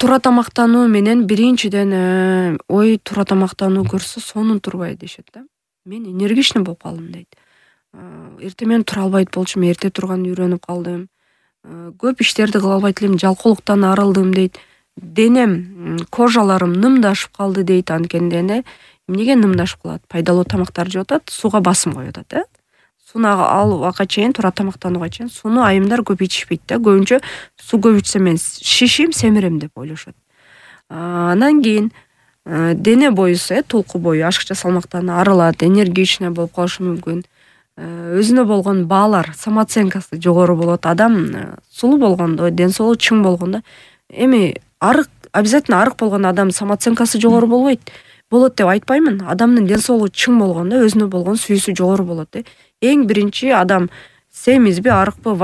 туура тамактануу менен биринчиден туура тамактануу көрсө сонун турбай дешет да. Мен энергичный болуп калдым дейт. Эртең менен тура албайт болчумун, эрте турганды үйрөнүп калдым. Көп иштерди кыла албайт элем, жалкоолуктан арылдым дейт. Денем, кожаларым нымдашып калды дейт. Анткени эмнеге нымдашып калат? Пайдалуу тамактарды жеп атат, сууга басым коюп атат, Сууну алууга чейин, туура тамактанууга чейин сууну айымдар көп ичишпейт да. Көбүнчө суу көп ичсем мен шишим, семирем деп ойлошот. Анан кийин дене боюсу, толку бою ашыкча салмактан арылат, энергичный болуп калышы мүмкүн. Өзүнө болгон баалар, самооценкасы жогору болот. Адам сулуу болгондо, ден соолугу чың болгондо, эми обязательно арык болгон адам самооценкасы жогору болот деп айтпаймын. Адамдын ден соолугу чың болгондо өзүнө болгон сүйүүсү жогору болот. Эң биринчи адам семизби, арыкпы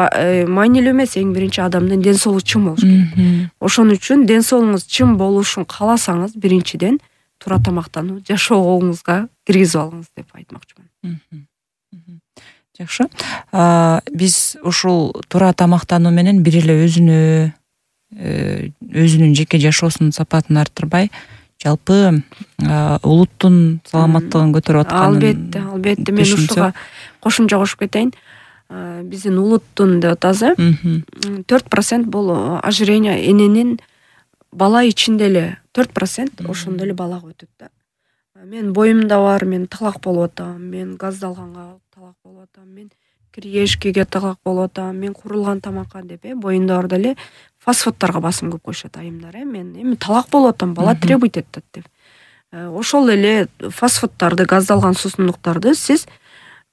маанилүү эмес, эң биринчи адамдын ден соолугу чың болуш керек. Ошон үчүн ден соолугуңуз чың болушун кааласаңыз, биринчиден туура тамактануу жашоогуңузга киргизип алыңыз деп айтмакчымын. Жакшы. Биз ушул туура тамактануу менен бир эле өзүнүн жеке жашоосунун сапатын арттырбай, жалпы улуттун саламаттыгын көтөрүп атканын. Албетте, мен ушуга кошумча кошуп кетейин. Биздин улуттун деп атабыз, 4% бул ожирение эненин бала ичинде эле 4% ошондо эле балага өтөт да. Мен боюмда бар, мен талак болуп атам, мен газдалганга талак болуп атам, мен кириешкиге талак болуп атам, мен курулган тамакка деп боюнда бар деле фастфудтарга басым көп коюшат айымдар. Мен эми талак болуп атам, бала требуйт этет деп. Ошол эле фастфудтарды, газдалган суусундуктарды сиз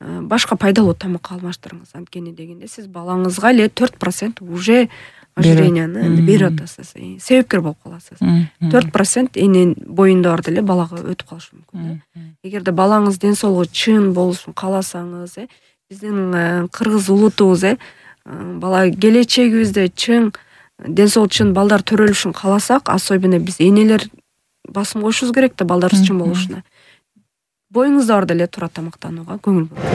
башка пайдалуу тамакка алмаштырыңыз. Анткени дегенде сиз балаңызга эле 4% уже ожиренияны берип атасыз, себепкер болуп каласыз. 4% энен боюнда бар деле балага өтүп калышы мүмкүн. Эгерде балаңыз ден соолугу чын болушун кааласаңыз, биздин кыргыз улутубуз, бала келечегибизде чың ден соолугу чын балдар төрөлүшүн кааласак, особенно биз энелер басым коюшубуз керек да балдарыбыз чың болушуна. Боюңузда бар деле туура тамактанууга көңүл буруңуз.